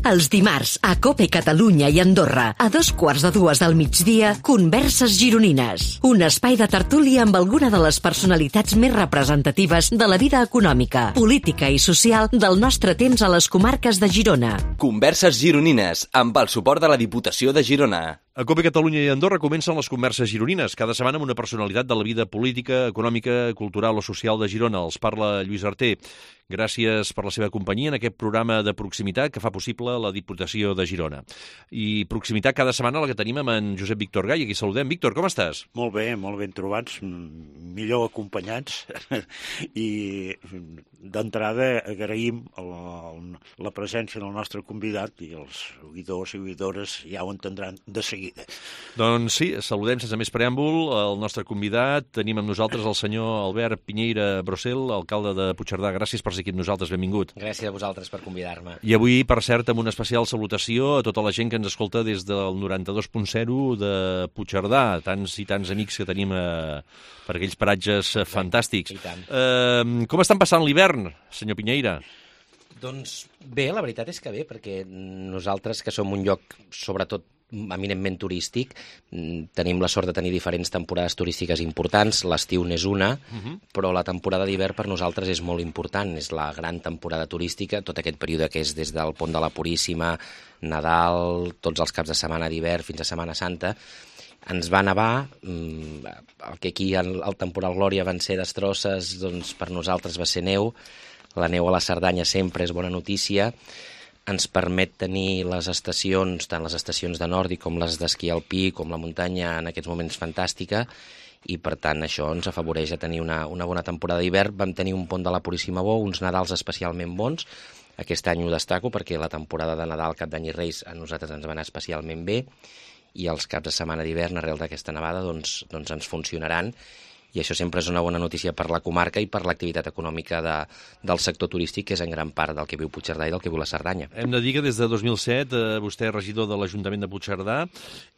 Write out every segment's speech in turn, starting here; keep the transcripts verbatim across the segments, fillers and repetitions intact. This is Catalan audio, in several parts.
Els dimarts, a COPE Catalunya i Andorra, a dos quarts de dues del migdia, Converses Gironines. Un espai de tertúlia amb alguna de les personalitats més representatives de la vida econòmica, política i social del nostre temps a les comarques de Girona. Converses Gironines, amb el suport de la Diputació de Girona. A COPE Catalunya i Andorra comencen les Converses Gironines, cada setmana amb una personalitat de la vida política, econòmica, cultural o social de Girona. Els parla Lluís Arter. Gràcies per la seva companyia en aquest programa de proximitat que fa possible la Diputació de Girona. I proximitat cada setmana la que tenim amb en Josep Víctor Gai. Aquí saludem. Víctor, com estàs? Molt bé, molt ben trobats, millor acompanyats. I d'entrada agraïm el, la presència del nostre convidat i els seguidors i seguidores ja ho entendran de seguida. Doncs sí, saludem sense més preàmbul el nostre convidat. Tenim amb nosaltres el senyor Albert Piñeira Brosel, alcalde de Puigcerdà. Gràcies per ser aquí amb nosaltres, benvingut. Gràcies a vosaltres per convidar-me. I avui, per cert, amb una especial salutació a tota la gent que ens escolta des del noranta-dos punt zero de Puigcerdà, tants i tants amics que tenim eh, per aquells paratges eh, fantàstics. Eh, com estan passant l'hivern, senyor Piñeira? Doncs bé, la veritat és que bé, perquè nosaltres, que som un lloc, sobretot, eminentment turístic, tenim la sort de tenir diferents temporades turístiques importants, l'estiu n'és una, uh-huh. però la temporada d'hivern per nosaltres és molt important, és la gran temporada turística, tot aquest període que és des del Pont de la Puríssima, Nadal, tots els caps de setmana d'hivern fins a Setmana Santa. Ens va nevar, el que aquí al temporal Glòria van ser destrosses, doncs per nosaltres va ser neu, la neu a la Cerdanya sempre és bona notícia, ens permet tenir les estacions, tant les estacions de Nòrdic com les d'esquí alpí, com la muntanya en aquests moments fantàstica, i per tant això ens afavoreix a tenir una, una bona temporada d'hivern. Vam tenir un Pont de la Puríssima bo, uns Nadals especialment bons, aquest any ho destaco perquè la temporada de Nadal, Cap d'Any i Reis a nosaltres ens va anar especialment bé, i els caps de setmana d'hivern arrel d'aquesta nevada doncs, doncs ens funcionaran, i això sempre és una bona notícia per la comarca i per l'activitat econòmica de, del sector turístic, que és en gran part del que viu Puigcerdà i del que viu la Cerdanya. Hem de dir que des de dos mil set eh, vostè és regidor de l'Ajuntament de Puigcerdà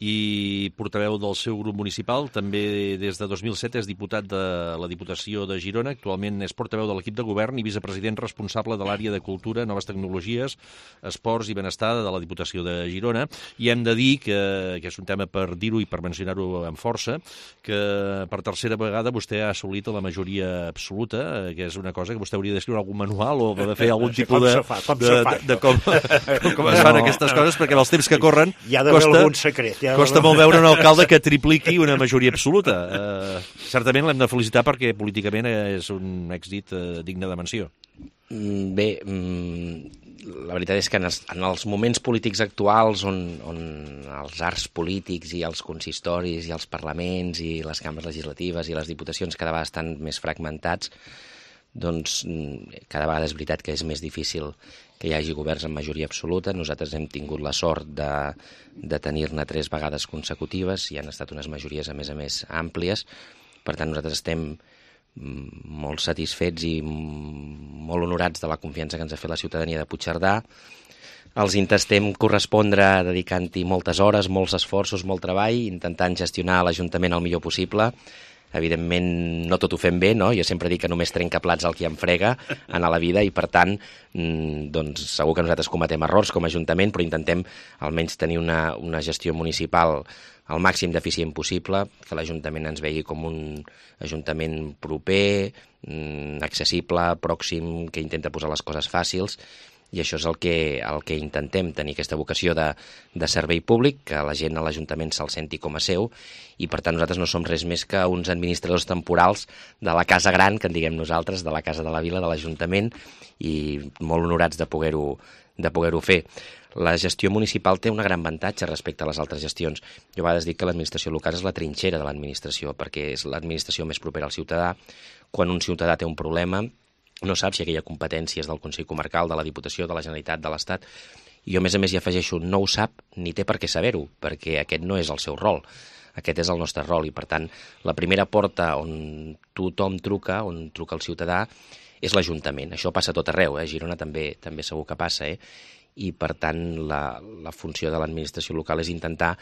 i portaveu del seu grup municipal. També des de dos mil set és diputat de la Diputació de Girona. Actualment és portaveu de l'equip de govern i vicepresident responsable de l'àrea de Cultura, Noves Tecnologies, Esports i Benestar de la Diputació de Girona. I hem de dir que, que és un tema per dir-ho i per mencionar-ho amb força, que per tercera vegada vostè ha assolit la majoria absoluta, que és una cosa que vostè hauria d'escriure algun manual o de fer algun tipus de, fa, com de, de, de com, com es fan aquestes coses, perquè els temps que corren costa, secret, costa molt veure un alcalde que tripliqui una majoria absoluta. Uh, certament l'hem de felicitar perquè políticament és un èxit uh, digne de menció. Bé, la veritat és que en els, en els moments polítics actuals on, on els arcs polítics i els consistoris i els parlaments i les cambres legislatives i les diputacions cada vegada estan més fragmentats, doncs cada vegada és veritat que és més difícil que hi hagi governs amb majoria absoluta. Nosaltres hem tingut la sort de, de tenir-ne tres vegades consecutives i han estat unes majories a més a més àmplies. Per tant, nosaltres estem molt satisfets i molt honorats de la confiança que ens ha fet la ciutadania de Puigcerdà. Els intentem correspondre dedicant-hi moltes hores, molts esforços, molt treball, intentant gestionar l'Ajuntament el millor possible. Evidentment, no tot ho fem bé, no? Jo sempre dic que només trenca plats el qui em frega en la vida i, per tant, doncs, segur que nosaltres cometem errors com a Ajuntament, però intentem almenys tenir una, una gestió municipal al màxim d'eficient possible, que l'Ajuntament ens vegi com un Ajuntament proper, accessible, pròxim, que intenta posar les coses fàcils, i això és el que, el que intentem, tenir aquesta vocació de, de servei públic, que la gent a l'Ajuntament se'l senti com a seu, i per tant nosaltres no som res més que uns administradors temporals de la casa gran, que en diguem nosaltres, de la casa de la vila, de l'Ajuntament, i molt honorats de poder-ho de poder-ho fer. La gestió municipal té un gran avantatge respecte a les altres gestions. Jo a vegades dic que l'administració local és la trinxera de l'administració, perquè és l'administració més propera al ciutadà. Quan un ciutadà té un problema, no sap si aquella competència és del Consell Comarcal, de la Diputació, de la Generalitat, de l'Estat. I jo, a més a més, hi afegeixo, no ho sap ni té per què saber-ho, perquè aquest no és el seu rol. Aquest és el nostre rol i, per tant, la primera porta on tothom truca, on truca el ciutadà, és l'Ajuntament. Això passa a tot arreu, eh? A Girona també també segur que passa, eh? i, per tant, la, la funció de l'administració local és intentar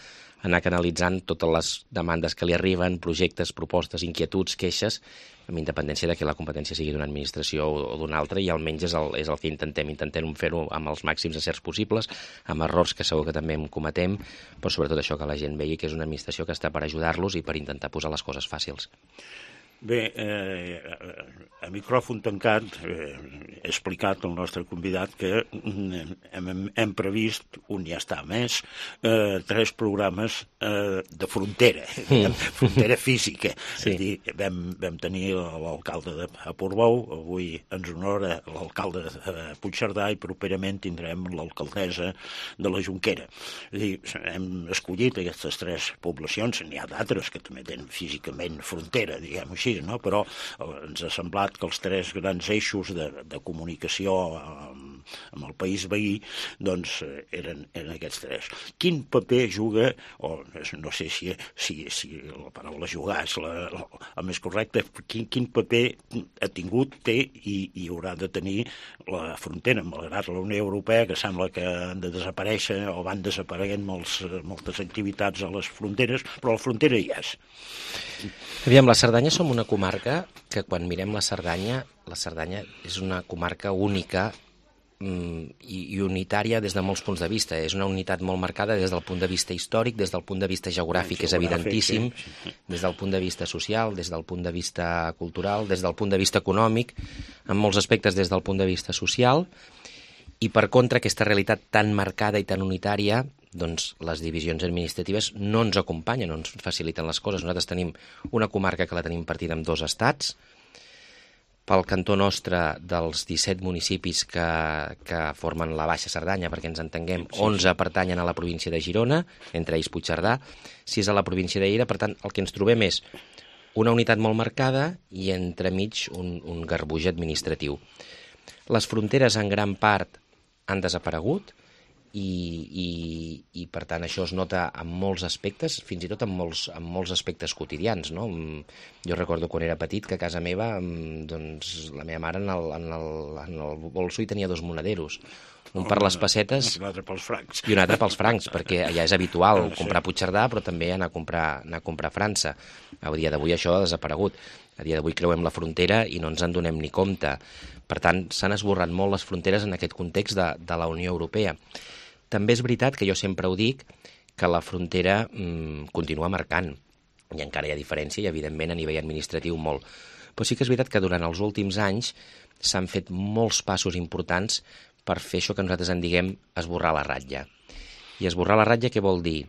anar canalitzant totes les demandes que li arriben, projectes, propostes, inquietuds, queixes, amb independència de que la competència sigui d'una administració o d'una altra, i almenys és el, és el que intentem. Intentem fer-ho amb els màxims acerts possibles, amb errors que segur que també en cometem, però sobretot això, que la gent vegi que és una administració que està per ajudar-los i per intentar posar les coses fàcils. Bé, eh, a micròfon tancat eh, he explicat al nostre convidat que hem, hem previst, un ja està més, eh, tres programes eh, de frontera, mm. frontera física. Sí. És dir, vam, vam tenir l'alcalde de Portbou, avui ens honora l'alcalde de Puigcerdà i properament tindrem l'alcaldessa de la Jonquera. És dir, hem escollit aquestes tres poblacions, n'hi ha d'altres que també tenen físicament frontera, diguem-ho així, no? Però ens ha semblat que els tres grans eixos de, de comunicació amb, amb el país veí doncs eren, eren aquests tres. Quin paper juga, o no sé si, si, si la paraula jugar és la, la, el més correcte, quin, quin paper ha tingut, té i, i haurà de tenir la frontera, malgrat la Unió Europea, que sembla que han de desaparèixer o van desapareguent molts, moltes activitats a les fronteres, però la frontera hi és. Aviam, la Cerdanya som una comarca que quan mirem la Cerdanya, la Cerdanya és una comarca única mm, i, i unitària des de molts punts de vista. És una unitat molt marcada des del punt de vista històric, des del punt de vista geogràfic, geogràfic és evidentíssim, sí. Des del punt de vista social, des del punt de vista cultural, des del punt de vista econòmic, en molts aspectes des del punt de vista social, i per contra aquesta realitat tan marcada i tan unitària, doncs les divisions administratives no ens acompanyen, no ens faciliten les coses. Nosaltres tenim una comarca que la tenim partida en dos estats. Pel cantó nostre, dels disset municipis que, que formen la Baixa Cerdanya, perquè ens entenguem, onze pertanyen a la província de Girona, entre ells Puigcerdà, sis a la província de Lleida. Per tant, el que ens trobem és una unitat molt marcada i entremig un, un garbuix administratiu. Les fronteres en gran part han desaparegut, I, i, i per tant això es nota en molts aspectes, fins i tot en molts, en molts aspectes quotidians, no? Jo recordo quan era petit que a casa meva doncs, la meva mare en el, en el, en el bolso hi tenia dos monaderos, un per les pessetes i un altre pels francs, i un altre pels francs, perquè allà és habitual comprar a Puigcerdà però també anar a comprar, anar a comprar a França. A dia d'avui això ha desaparegut. A dia d'avui creuem la frontera i no ens en donem ni compte. Per tant, s'han esborrat molt les fronteres en aquest context de, de la Unió Europea. També és veritat que jo sempre ho dic, que la frontera mmm, continua marcant, i encara hi ha diferència, i evidentment a nivell administratiu molt. Però sí que és veritat que durant els últims anys s'han fet molts passos importants per fer això que nosaltres en diguem esborrar la ratlla. I esborrar la ratlla què vol dir?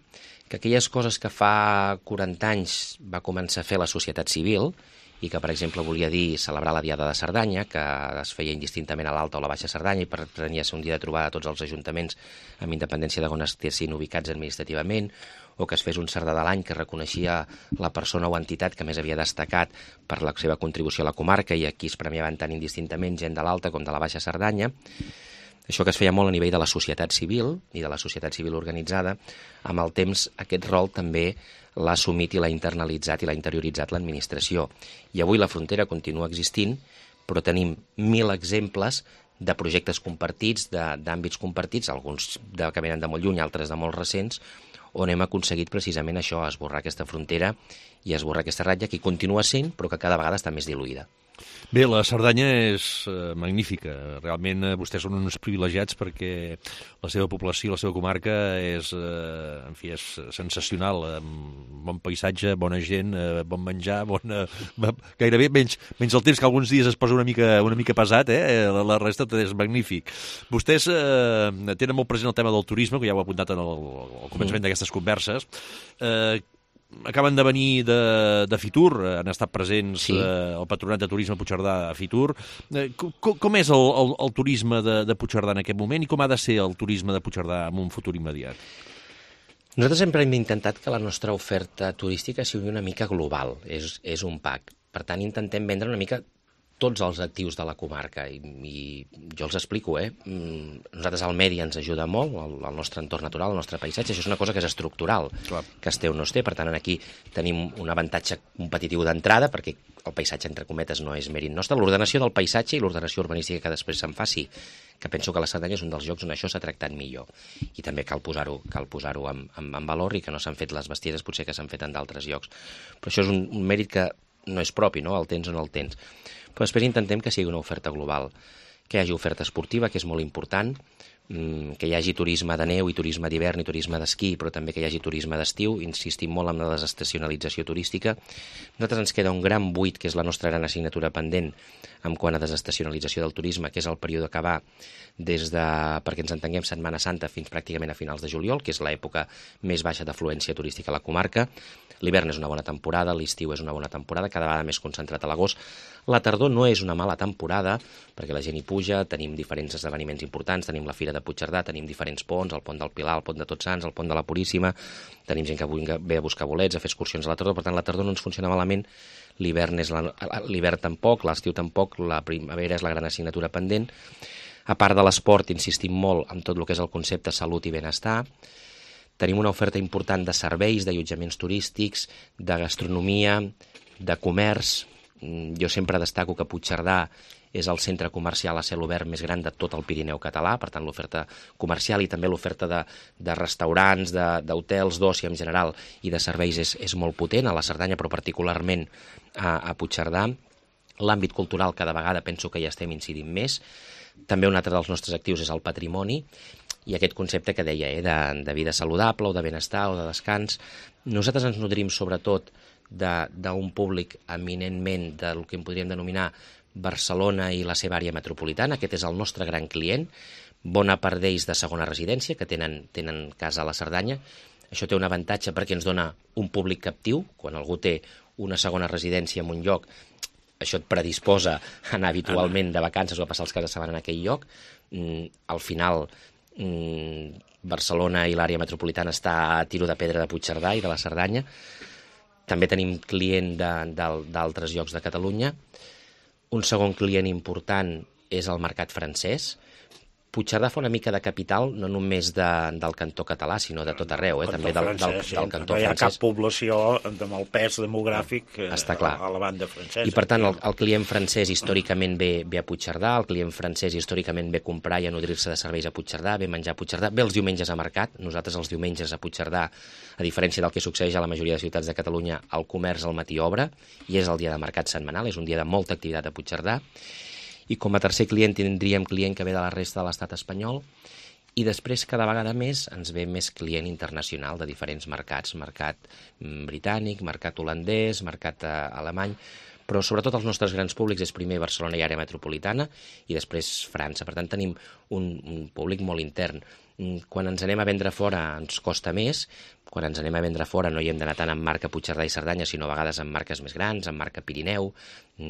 Que aquelles coses que fa quaranta anys va començar a fer la societat civil, i que, per exemple, volia dir celebrar la Diada de Cerdanya, que es feia indistintament a l'Alta o la Baixa Cerdanya i pretenia ser un dia de trobada a tots els ajuntaments amb independència de on estessin ubicats administrativament, o que es fes un Cerdà de l'any que reconeixia la persona o entitat que més havia destacat per la seva contribució a la comarca, i aquí es premiaven tant indistintament gent de l'Alta com de la Baixa Cerdanya. Això que es feia molt a nivell de la societat civil i de la societat civil organitzada, amb el temps aquest rol també l'ha assumit i l'ha internalitzat i l'ha interioritzat l'administració. I avui la frontera continua existint, però tenim mil exemples de projectes compartits, d'àmbits compartits, alguns de, que venen de molt lluny, altres de molt recents, on hem aconseguit precisament això, esborrar aquesta frontera i esborrar aquesta ratlla que continua sent, però que cada vegada està més diluïda. Bé, la Cerdanya és eh, magnífica. Realment eh, vostès són uns privilegiats perquè la seva població, la seva comarca és, eh, en fi, és sensacional. Eh, bon paisatge, bona gent, eh, bon menjar, bona... gairebé menys, menys el temps que alguns dies es posa una mica, una mica pesat, eh? la, la resta és magnífic. Vostès eh, tenen molt present el tema del turisme, que ja ho he apuntat en el, el començament mm. d'aquestes converses. Eh, Acaben de venir de, de Fitur, han estat presents sí. eh, el Patronat de Turisme Puigcerdà a Fitur. Eh, com, com és el, el, el turisme de, de Puigcerdà en aquest moment i com ha de ser el turisme de Puigcerdà en un futur immediat? Nosaltres sempre hem intentat que la nostra oferta turística sigui una mica global, és, és un pack. Per tant, intentem vendre una mica tots els actius de la comarca, i, i jo els explico, eh? Nosaltres el medi ens ajuda molt, el, el nostre entorn natural, el nostre paisatge, això és una cosa que és estructural, Clar. que es té o no es té, per tant aquí tenim un avantatge competitiu d'entrada, perquè el paisatge, entre cometes, no és mèrit nostre. L'ordenació del paisatge i l'ordenació urbanística que després se'n faci, que penso que la Cerdanya és un dels llocs on això s'ha tractat millor, i també cal posar-ho cal posar-ho en, en, en valor, i que no s'han fet les bestieses potser que s'han fet en d'altres llocs. Però això és un, un mèrit que no és propi, no? El tens o no el tens. Però després intentem que sigui una oferta global, que hi hagi oferta esportiva, que és molt important, que hi hagi turisme de neu i turisme d'hivern i turisme d'esquí, però també que hi hagi turisme d'estiu. Insistim molt en la desestacionalització turística. A nosaltres ens queda un gran buit, que és la nostra gran assignatura pendent en quant a desestacionalització del turisme, que és el període que va des de, perquè ens entenguem, Setmana Santa fins pràcticament a finals de juliol, que és l'època més baixa d'afluència turística a la comarca. L'hivern és una bona temporada, l'estiu és una bona temporada, cada vegada més concentrat a l'agost. La tardor no és una mala temporada, perquè la gent hi puja, tenim diferents esdeveniments importants, tenim la Fira de Puigcerdà, tenim diferents ponts, el pont del Pilar, el pont de Tots Sants, el pont de la Puríssima, tenim gent que ve a buscar bolets, a fer excursions a la tardor, per tant la tardor no ens funciona malament, l'hivern és la, l'hivern tampoc, l'estiu tampoc, la primavera és la gran assignatura pendent. A part de l'esport, insistim molt en tot el que és el concepte salut i benestar. Tenim una oferta important de serveis, d'allotjaments turístics, de gastronomia, de comerç. Jo sempre destaco que Puigcerdà és el centre comercial a cel obert més gran de tot el Pirineu català, per tant l'oferta comercial i també l'oferta de, de restaurants, d'hotels, d'oci en general i de serveis és, és molt potent, a la Cerdanya però particularment a, a Puigcerdà. L'àmbit cultural cada vegada penso que hi estem incidint més. També un altre dels nostres actius és el patrimoni, i aquest concepte que deia, eh, de, de vida saludable o de benestar o de descans. Nosaltres ens nodrim sobretot d'un públic eminentment del que en podríem denominar Barcelona i la seva àrea metropolitana. Aquest és el nostre gran client, bona part d'ells de segona residència, que tenen, tenen casa a la Cerdanya. Això té un avantatge perquè ens dona un públic captiu. Quan algú té una segona residència en un lloc, això et predisposa a anar habitualment de vacances o a passar els caps de setmana en aquell lloc. Mm, al final, mm, Barcelona i l'àrea metropolitana està a tiro de pedra de Puigcerdà i de la Cerdanya. També tenim client d'altres llocs de Catalunya. Un segon client important és el mercat francès. Puigcerdà fa una mica de capital, no només de, del cantó català, sinó de tot arreu, eh? també del, del, francès, del cantó francès. No hi ha francès. Cap població amb el pes demogràfic Està clar. a la banda francesa. I per tant el, el client francès històricament ve, ve a Puigcerdà, el client francès històricament ve a comprar i a nodrir-se de serveis a Puigcerdà, ve a menjar a Puigcerdà, ve els diumenges a mercat. Nosaltres els diumenges a Puigcerdà, a diferència del que succeeix a la majoria de ciutats de Catalunya, el comerç al matí obre i és el dia de mercat setmanal, és un dia de molta activitat a Puigcerdà. I com a tercer client tindríem client que ve de la resta de l'estat espanyol, i després cada vegada més ens ve més client internacional de diferents mercats, mercat britànic, mercat holandès, mercat alemany, però sobretot els nostres grans públics és primer Barcelona i àrea metropolitana i després França. Per tant tenim un, un públic molt intern. Quan ens anem a vendre fora ens costa més, quan ens anem a vendre fora no hi hem d'anar tant amb marca Puigcerdà i Cerdanya, sinó a vegades amb marques més grans, amb marca Pirineu,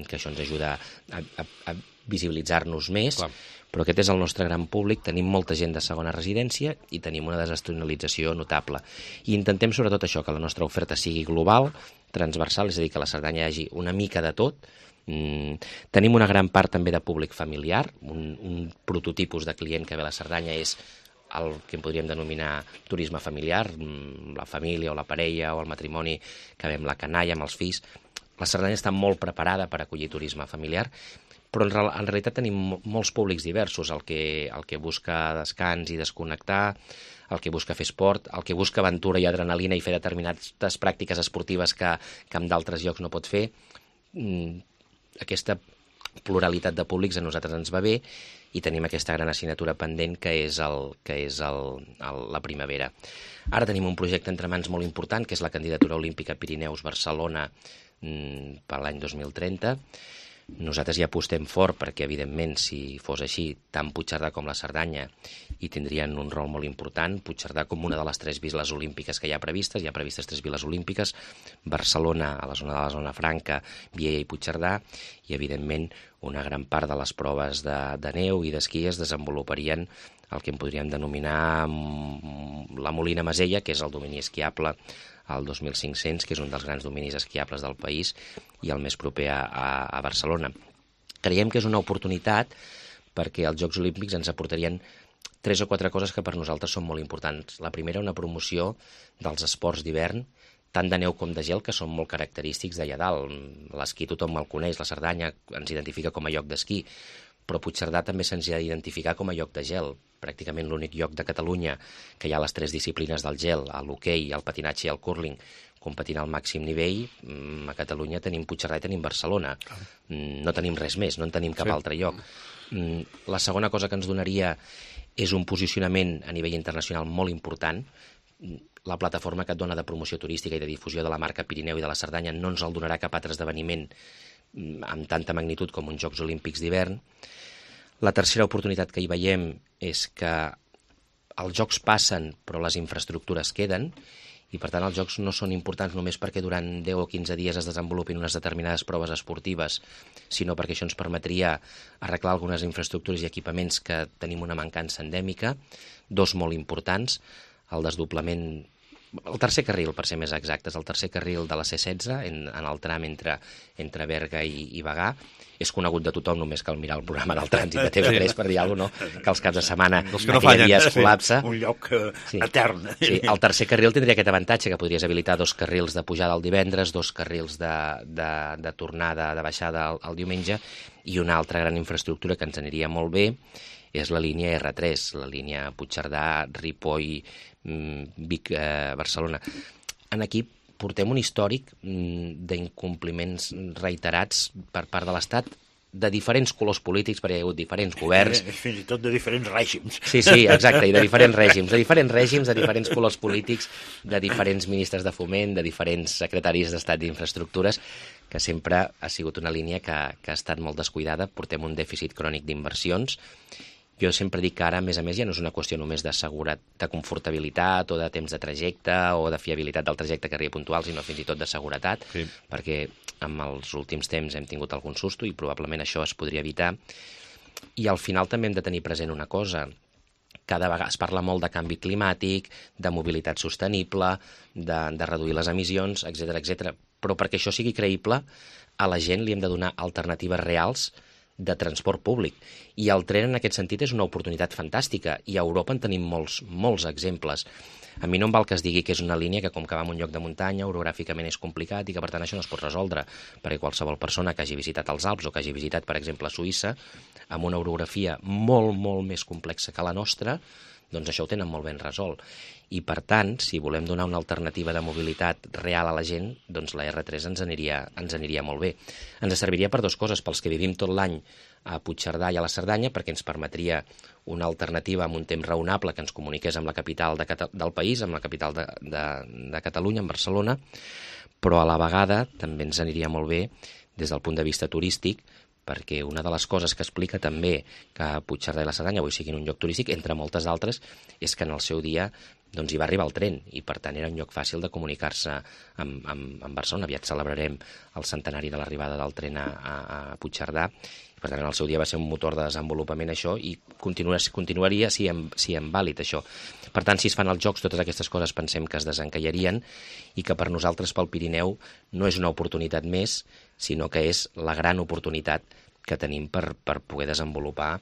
que això ens ajuda a, a, a visibilitzar-nos més. Clar. Però aquest és el nostre gran públic, tenim molta gent de segona residència i tenim una desestacionalització notable. I intentem sobretot això, que la nostra oferta sigui global, transversal, és a dir, que a la Cerdanya hi hagi una mica de tot. Mm, tenim una gran part també de públic familiar, un, un prototipus de client que ve a la Cerdanya és el que en podríem denominar turisme familiar, la família o la parella o el matrimoni que ve amb la canalla, amb els fills. La Cerdanya està molt preparada per acollir turisme familiar, però en, en realitat tenim molts públics diversos, el que, el que busca descans i desconnectar, el que busca fer esport, el que busca aventura i adrenalina i fer determinades pràctiques esportives que, que en d'altres llocs no pot fer. Aquesta pluralitat de públics a nosaltres ens va bé i tenim aquesta gran assignatura pendent que és, el, que és el, el, la primavera. Ara tenim un projecte entre mans molt important, que és la candidatura olímpica Pirineus-Barcelona per l'any dos mil trenta. Nosaltres ja apostem fort perquè, evidentment, si fos així, tant Puigcerdà com la Cerdanya hi tindrien un rol molt important. Puigcerdà com una de les tres viles olímpiques que hi ha previstes, hi ha previstes tres viles olímpiques, Barcelona, a la zona de la zona franca, Viella i Puigcerdà, i, evidentment, una gran part de les proves de, de neu i d'esquí es desenvoluparien el que en podríem denominar la Molina Masella, que és el domini esquiable al dos mil cinc-cents, que és un dels grans dominis esquiables del país i el més proper a, a, a Barcelona. Creiem que és una oportunitat perquè els Jocs Olímpics ens aportarien tres o quatre coses que per nosaltres són molt importants. La primera, una promoció dels esports d'hivern, tant de neu com de gel, que són molt característics d'allà dalt. L'esquí tothom el coneix, la Cerdanya ens identifica com a lloc d'esquí, però Puigcerdà també se'ns ha d'identificar com a lloc de gel. Pràcticament l'únic lloc de Catalunya que hi ha les tres disciplines del gel, l'hoquei, el patinatge i el cúrling, competint al màxim nivell. A Catalunya tenim Puigcerdà i tenim Barcelona. No tenim res més, no en tenim cap sí. altre lloc. La segona cosa que ens donaria és un posicionament a nivell internacional molt important. La plataforma que et dona de promoció turística i de difusió de la marca Pirineu i de la Cerdanya no ens el donarà cap altre esdeveniment amb tanta magnitud com uns Jocs Olímpics d'hivern. La tercera oportunitat que hi veiem és que els Jocs passen però les infraestructures queden i per tant els Jocs no són importants només perquè durant deu o quinze dies es desenvolupin unes determinades proves esportives, sinó perquè això ens permetria arreglar algunes infraestructures i equipaments que tenim una mancança endèmica, dos molt importants, el desdoblament, el tercer carril, per ser més exactes, el tercer carril de la C setze en, en el tram entre, entre Berga i, i Bagà. És conegut de tothom, només cal mirar el programa del trànsit de T V tres per dir alguna cosa, no? Que els caps de setmana no aquell dia es col·lapsa. Un lloc sí. etern. Sí, el tercer carril tindria aquest avantatge, que podries habilitar dos carrils de pujada el divendres, dos carrils de, de, de tornada, de baixada el, el diumenge, i una altra gran infraestructura que ens aniria molt bé és la línia erre tres, la línia Puigcerdà, Ripoll, Vic, eh, Barcelona. En aquí portem un històric d'incompliments reiterats per part de l'Estat de diferents colors polítics, perquè hi ha hagut diferents governs. Fins i tot de diferents règims. Sí, sí, exacte, i de diferents règims, de diferents règims, de diferents colors polítics, de diferents ministres de foment, de diferents secretaris d'Estat d'Infraestructures, que sempre ha sigut una línia que, que ha estat molt descuidada. Portem un dèficit crònic d'inversions. Jo sempre dic que ara, a més a més, ja no és una qüestió només de seguretat, de confortabilitat o de temps de trajecte o de fiabilitat del trajecte que arriba puntual, sinó fins i tot de seguretat, sí. perquè en els últims temps hem tingut algun susto i probablement això es podria evitar. I al final també hem de tenir present una cosa. Cada vegada es parla molt de canvi climàtic, de mobilitat sostenible, de, de reduir les emissions, etcètera, etcètera. Però perquè això sigui creïble, a la gent li hem de donar alternatives reals de transport públic. I el tren, en aquest sentit, és una oportunitat fantàstica. I a Europa en tenim molts, molts exemples. A mi no em val que es digui que és una línia que, com que va en un lloc de muntanya, orogràficament és complicat i que, per tant, això no es pot resoldre, perquè qualsevol persona que hagi visitat els Alps o que hagi visitat, per exemple, Suïssa, amb una orografia molt, molt més complexa que la nostra, doncs això ho tenen molt ben resolt. I, per tant, si volem donar una alternativa de mobilitat real a la gent, doncs la erre tres ens aniria, ens aniria molt bé. Ens serviria per dues coses, pels que vivim tot l'any a Puigcerdà i a la Cerdanya, perquè ens permetria una alternativa amb un temps raonable que ens comuniqués amb la capital de, del país, amb la capital de, de, de Catalunya, en Barcelona, però a la vegada també ens aniria molt bé des del punt de vista turístic, perquè una de les coses que explica també que Puigcerdà i la Cerdanya avui siguin un lloc turístic, entre moltes altres, és que en el seu dia doncs hi va arribar el tren i per tant era un lloc fàcil de comunicar-se amb, amb, amb Barcelona. Aviat celebrarem el centenari de l'arribada del tren a, a, a Puigcerdà i per tant en el seu dia va ser un motor de desenvolupament això i continua, continuaria si en, si en vàlid això. Per tant, si es fan els Jocs, totes aquestes coses pensem que es desencallarien i que per nosaltres, pel Pirineu, no és una oportunitat més, sinó que és la gran oportunitat que tenim per, per poder desenvolupar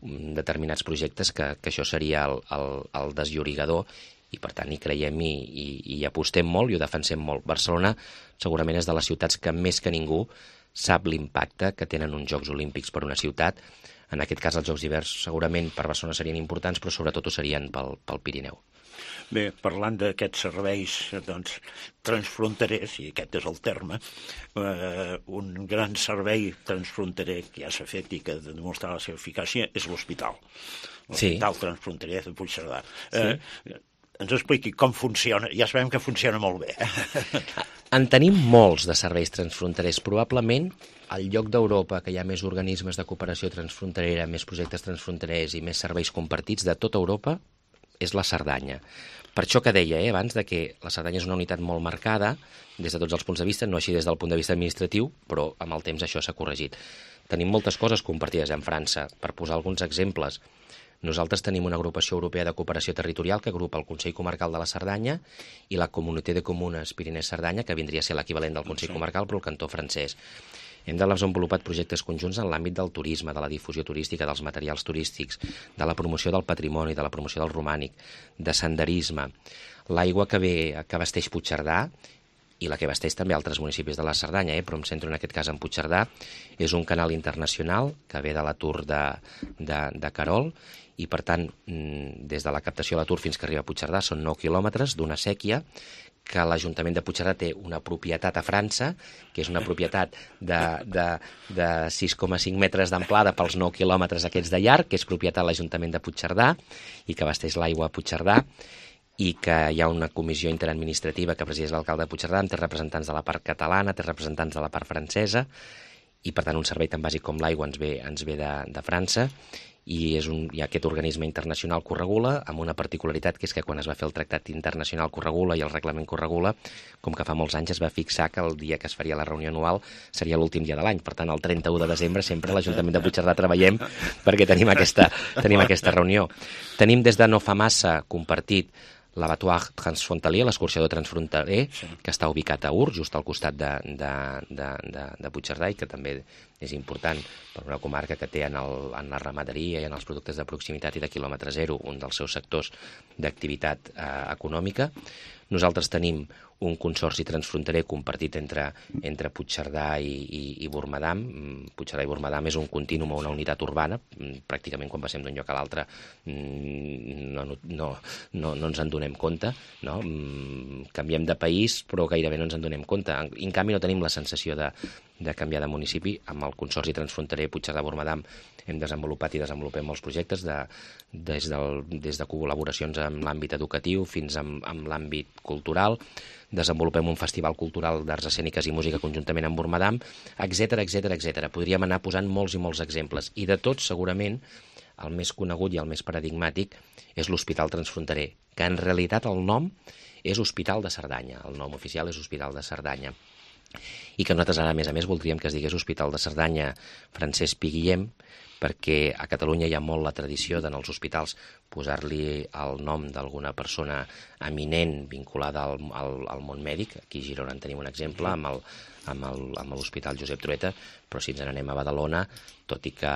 determinats projectes que, que això seria el, el, el desllorigador i per tant hi creiem i, i, i hi apostem molt i ho defensem molt. Barcelona segurament és de les ciutats que més que ningú sap l'impacte que tenen uns Jocs Olímpics per una ciutat. En aquest cas els Jocs d'hivern segurament per Barcelona serien importants, però sobretot ho serien pel, pel Pirineu. Bé, parlant d'aquests serveis doncs, transfronterers, i aquest és el terme, eh, un gran servei transfronterer que ja s'ha fet i que ha de demostrar la seva eficàcia és l'hospital. L'hospital sí. transfronterer de Puigcerdà. Sí. Eh, ens expliqui com funciona. Ja sabem que funciona molt bé. En tenim molts de serveis transfronterers. Probablement al lloc d'Europa que hi ha més organismes de cooperació transfronterera, més projectes transfronterers i més serveis compartits de tota Europa és la Cerdanya. Per això que deia eh, abans de que la Cerdanya és una unitat molt marcada des de tots els punts de vista, no així des del punt de vista administratiu, però amb el temps això s'ha corregit. Tenim moltes coses compartides amb França. Per posar alguns exemples, nosaltres tenim una agrupació europea de cooperació territorial que agrupa el Consell Comarcal de la Cerdanya i la Comunitat de Comunes Pirineu-Cerdanya, que vindria a ser l'equivalent del Consell Comarcal, però el cantó francès. Hem desenvolupat projectes conjunts en l'àmbit del turisme, de la difusió turística, dels materials turístics, de la promoció del patrimoni, de la promoció del romànic, de senderisme. L'aigua que ve que abasteix Puigcerdà i la que abasteix també altres municipis de la Cerdanya, eh? però em centro en aquest cas en Puigcerdà, és un canal internacional que ve de la Tour de, de, de Querol, i per tant, des de la captació de la Tour fins que arriba a Puigcerdà són nou quilòmetres d'una sèquia que l'Ajuntament de Puigcerdà té una propietat a França, que és una propietat de, de, de sis coma cinc metres d'amplada pels nou quilòmetres aquests de llarg, que és propietat de l'Ajuntament de Puigcerdà i que abasteix l'aigua a Puigcerdà, i que hi ha una comissió interadministrativa que presideix l'alcalde de Puigcerdà, té representants de la part catalana, té representants de la part francesa, i per tant un servei tan bàsic com l'aigua ens ve, ens ve de, de França, i és un, hi ha aquest organisme internacional que ho regula, amb una particularitat que és que quan es va fer el tractat internacional que ho regula i el reglament que ho regula, com que fa molts anys es va fixar que el dia que es faria la reunió anual seria l'últim dia de l'any. Per tant, el trenta-u de desembre sempre a l'Ajuntament de Puigcerdà treballem perquè tenim aquesta, tenim aquesta reunió. Tenim des de no fa massa compartit l'Abattoir Transfrontalier, l'escorxador transfronterer, sí, que està ubicat a Ur, just al costat de, de, de, de, de Puigcerdà, i que també és important per una comarca que té en, el, en la ramaderia i en els productes de proximitat i de quilòmetre zero un dels seus sectors d'activitat eh, econòmica. Nosaltres tenim un consorci transfronterer compartit entre, entre Puigcerdà i, i, i Bormadam. Puigcerdà i Bormadam és un contínuum o una unitat urbana. Pràcticament quan passem d'un lloc a l'altre no, no, no, no, no ens en donem compte. No? Canviem de país, però gairebé no ens en donem compte. En canvi, no tenim la sensació de, de canviar de municipi. Amb el consorci transfronterer Puigcerdà-Bormadam hem desenvolupat i desenvolupem molts projectes de, des, del, des de col·laboracions amb l'àmbit educatiu fins amb, amb l'àmbit cultural. Desenvolupem un festival cultural d'arts escèniques i música conjuntament amb Bormadam, etcètera, etcètera, etcètera. Podríem anar posant molts i molts exemples. I de tots, segurament, el més conegut i el més paradigmàtic és l'Hospital Transfronterer, que en realitat el nom és Hospital de Cerdanya. El nom oficial és Hospital de Cerdanya. I que nosaltres ara, a més a més, voldríem que es digués Hospital de Cerdanya Francesc Pi Guillem, perquè a Catalunya hi ha molt la tradició d'en els hospitals posar-li el nom d'alguna persona eminent vinculada al, al, al món mèdic. Aquí a Girona en tenim un exemple amb el, amb el, amb l'Hospital Josep Trueta, però si ens n'anem a Badalona, tot i que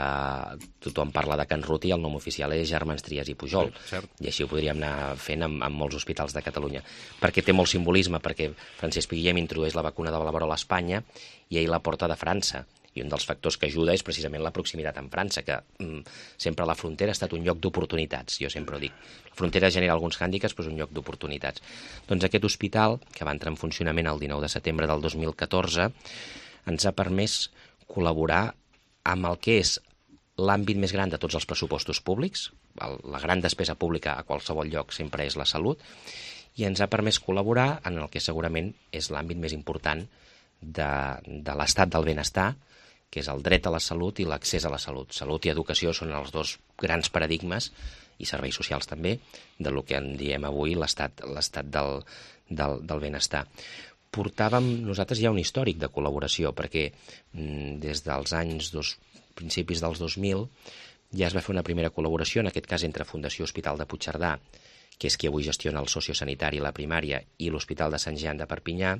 tothom parla de Can Ruti, el nom oficial és Germans Trias i Pujol. Sí, i així ho podríem anar fent amb, amb molts hospitals de Catalunya. Perquè té molt simbolisme, perquè Francesc Pi Guillem introdueix la vacuna de la verola a Espanya i ell la porta de França. I un dels factors que ajuda és precisament la proximitat amb França, que mm, sempre la frontera ha estat un lloc d'oportunitats, jo sempre ho dic. La frontera genera alguns hàndicaps, però és un lloc d'oportunitats. Doncs aquest hospital, que va entrar en funcionament el dinou de setembre del dos mil catorze, ens ha permès col·laborar amb el que és l'àmbit més gran de tots els pressupostos públics. La gran despesa pública a qualsevol lloc sempre és la salut, i ens ha permès col·laborar en el que segurament és l'àmbit més important de, de l'estat del benestar, que és el dret a la salut i l'accés a la salut. Salut i educació són els dos grans paradigmes, i serveis socials també, de lo que en diem avui l'estat l'estat del, del, del benestar. Portàvem nosaltres ja un històric de col·laboració, perquè mm, des dels anys dos, principis dels dos mil ja es va fer una primera col·laboració, en aquest cas entre Fundació Hospital de Puigcerdà, que és qui avui gestiona el sociosanitari, la primària, i l'Hospital de Sant Jean de Perpinyà,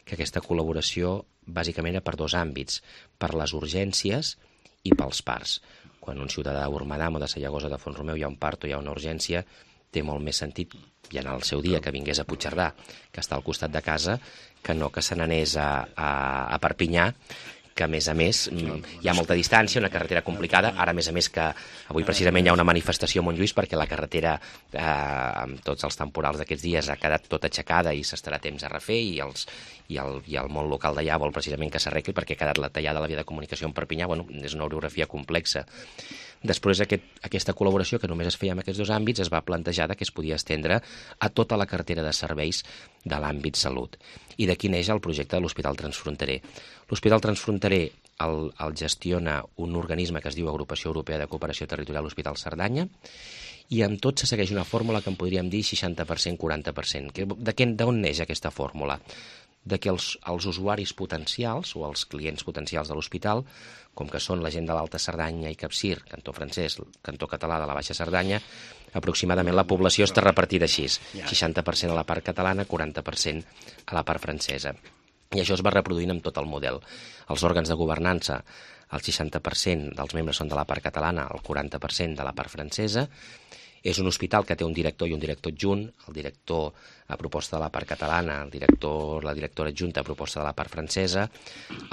que aquesta col·laboració bàsicament era per dos àmbits, per les urgències i pels parts. Quan un ciutadà de Bormadam o de Sallagosa de Font-romeu hi ha un part o hi ha una urgència, té molt més sentit, i en el seu dia, que vingués a Puigcerdà, que està al costat de casa, que no que se n'anés a, a, a Perpinyà, que a més a més hi ha molta distància, una carretera complicada. Ara, a més a més, que avui precisament hi ha una manifestació a Montjuïc perquè la carretera, eh, amb tots els temporals d'aquests dies, ha quedat tota aixecada i s'estarà temps a refer, i, els, i, el, i el món local d'allà vol precisament que s'arregli perquè ha quedat la tallada de la via de comunicació en Perpinyà. Bueno, és una orografia complexa. Després, aquest, aquesta col·laboració, que només es feia en aquests dos àmbits, es va plantejar que es podia estendre a tota la cartera de serveis de l'àmbit salut. I d'aquí neix el projecte de l'Hospital Transfronterer. L'Hospital Transfronterer el, el gestiona un organisme que es diu Agrupació Europea de Cooperació Territorial Hospital Cerdanya, i amb tot se segueix una fórmula que en podríem dir seixanta per cent, quaranta per cent. D'on neix aquesta fórmula? De que els, els usuaris potencials o els clients potencials de l'hospital, com que són la gent de l'Alta Cerdanya i Capcir, cantó francès, cantó català de la Baixa Cerdanya, aproximadament la població està repartida així, seixanta per cent a la part catalana, quaranta per cent a la part francesa. I això es va reproduint amb tot el model. Els òrgans de governança, el seixanta per cent dels membres són de la part catalana, el quaranta per cent de la part francesa. És un hospital que té un director i un director adjunt, el director a proposta de la part catalana, el director, la directora adjunta a proposta de la part francesa.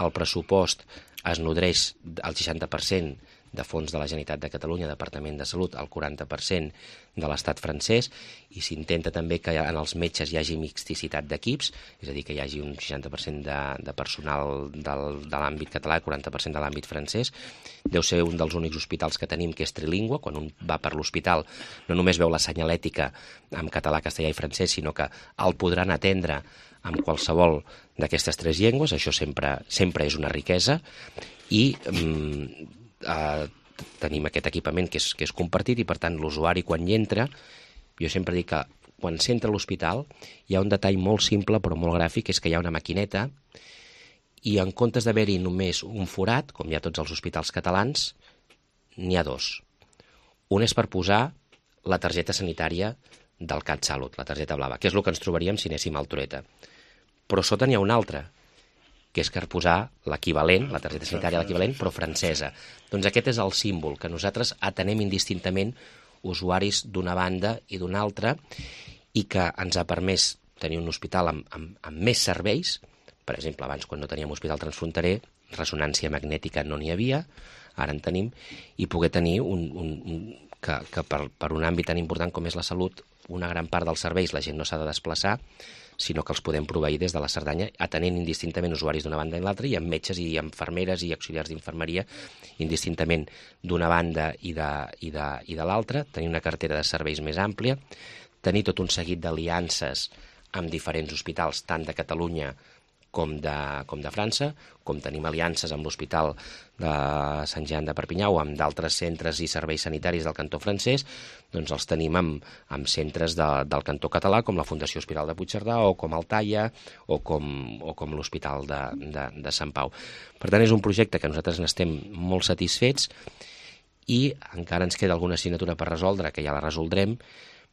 El pressupost es nodreix al seixanta per cent de fons de la Generalitat de Catalunya, Departament de Salut, el quaranta per cent de l'estat francès, i s'intenta també que en els metges hi hagi mixticitat d'equips, és a dir, que hi hagi un seixanta per cent de, de personal del, de l'àmbit català i quaranta per cent de l'àmbit francès. Deu ser un dels únics hospitals que tenim que és trilingüe. Quan un va per l'hospital no només veu la senyalètica en català, castellà i francès, sinó que el podran atendre amb qualsevol d'aquestes tres llengües. Això sempre, sempre és una riquesa, i mm, Uh, tenim aquest equipament que és, que és compartit, i per tant l'usuari quan hi entra, jo sempre dic que quan s'entra a l'hospital hi ha un detall molt simple però molt gràfic, és que hi ha una maquineta i en comptes d'haver-hi només un forat, com hi ha tots els hospitals catalans, n'hi ha dos. Un és per posar la targeta sanitària del CatSalut, la targeta blava, que és el que ens trobaríem si anéssim al Trueta. Però sota n'hi ha un altre, que és per posar l'equivalent, la targeta sanitària l'equivalent, però francesa. Doncs aquest és el símbol, que nosaltres atenem indistintament usuaris d'una banda i d'una altra, i que ens ha permès tenir un hospital amb, amb, amb més serveis. Per exemple, abans, quan no teníem hospital transfronterer, ressonància magnètica no n'hi havia, ara en tenim, i poder tenir un, un, un, que, que per, per un àmbit tan important com és la salut, una gran part dels serveis la gent no s'ha de desplaçar, sinó que els podem proveir des de la Cerdanya, atenent indistintament usuaris d'una banda i l'altra, i amb metges i infermeres i auxiliars d'infermeria indistintament d'una banda i de, i de, i de l'altra, tenir una cartera de serveis més àmplia, tenir tot un seguit d'aliances amb diferents hospitals, tant de Catalunya com de, com de França, com tenim aliances amb l'Hospital de Sant Jean de Perpinyà o amb d'altres centres i serveis sanitaris del cantó francès, doncs els tenim amb, amb centres de, del cantó català, com la Fundació Hospital de Puigcerdà o com el Taia o com, o com l'Hospital de, de, de Sant Pau. Per tant, és un projecte que nosaltres n'estem molt satisfets, i encara ens queda alguna assignatura per resoldre, que ja la resoldrem,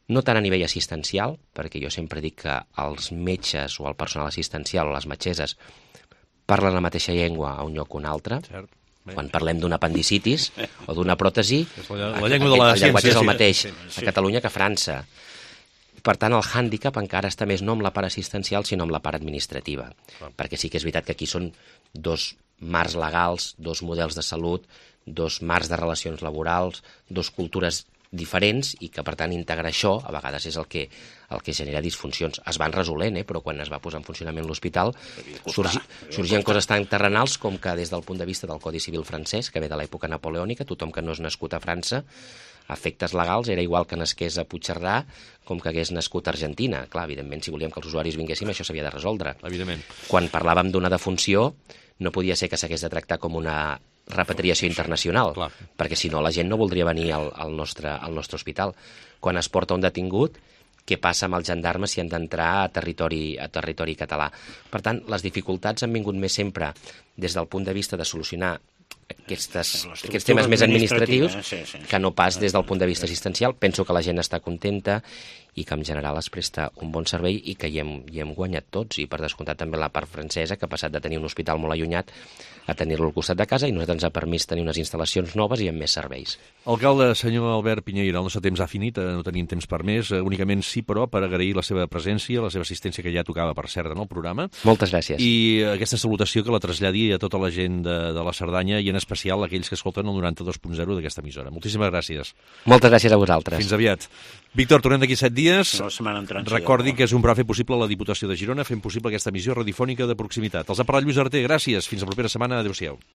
no tant a nivell assistencial, perquè jo sempre dic que els metges o el personal assistencial o les metgesses parlen la mateixa llengua a un lloc o un altre. Cert. Quan parlem d'una apendicitis o d'una pròtesi, la, la llengua de la el llenguatge és el mateix sí, sí. a Catalunya que a França. Per tant, el hàndicap encara està més no amb la part assistencial, sinó amb la part administrativa. Ah. Perquè sí que és veritat que aquí són dos marcs legals, dos models de salut, dos marcs de relacions laborals, dos cultures diferents, i que, per tant, integrar això a vegades és el que, el que genera disfuncions. Es van resolent, eh? Però quan es va posar en funcionament l'hospital sorgi, sorgien coses tan terrenals com que des del punt de vista del Codi Civil francès, que ve de l'època napoleònica, tothom que no és nascut a França, a efectes legals, era igual que nasqués a Puigcerdà com que hagués nascut a Argentina. Clar, evidentment, si volíem que els usuaris vinguéssim, això s'havia de resoldre. Evidentment. Quan parlàvem d'una defunció, no podia ser que s'hagués de tractar com una repatriació internacional, clar, perquè si no la gent no voldria venir al, al, nostre, al nostre hospital. Quan es porta un detingut, què passa amb els gendarmes si han d'entrar a territori, a territori català? Per tant, les dificultats han vingut més sempre des del punt de vista de solucionar aquestes, aquests temes més administratius, sí, sí, que no pas des del punt de vista assistencial. Penso que la gent està contenta i que en general es presta un bon servei i que hi hem, hi hem guanyat tots, i per descomptat també la part francesa, que ha passat de tenir un hospital molt allunyat a tenir-lo al costat de casa, i nosaltres ens ha permès tenir unes instal·lacions noves i amb més serveis. Alcalde, senyor Albert Piñeira, el nostre temps ha finit, no tenim temps per més, únicament sí, però, per agrair la seva presència, la seva assistència, que ja tocava, per cert, en el programa. Moltes gràcies. I aquesta salutació que la traslladi a tota la gent de, de la Cerdanya, i en especial a aquells que escolten el noranta-dos punt zero d'aquesta emissora. Moltíssimes gràcies. Moltes gràcies a vosaltres. Fins aviat. Víctor, tornem d'aquí set dies. La setmana entrant. Recordi que és un prou fer possible la Diputació de Girona, fent possible aquesta emissió radiofònica de proximitat. Els ha parlat Lluís Arter, gràcies. Fins la propera setmana. Adéu-siau.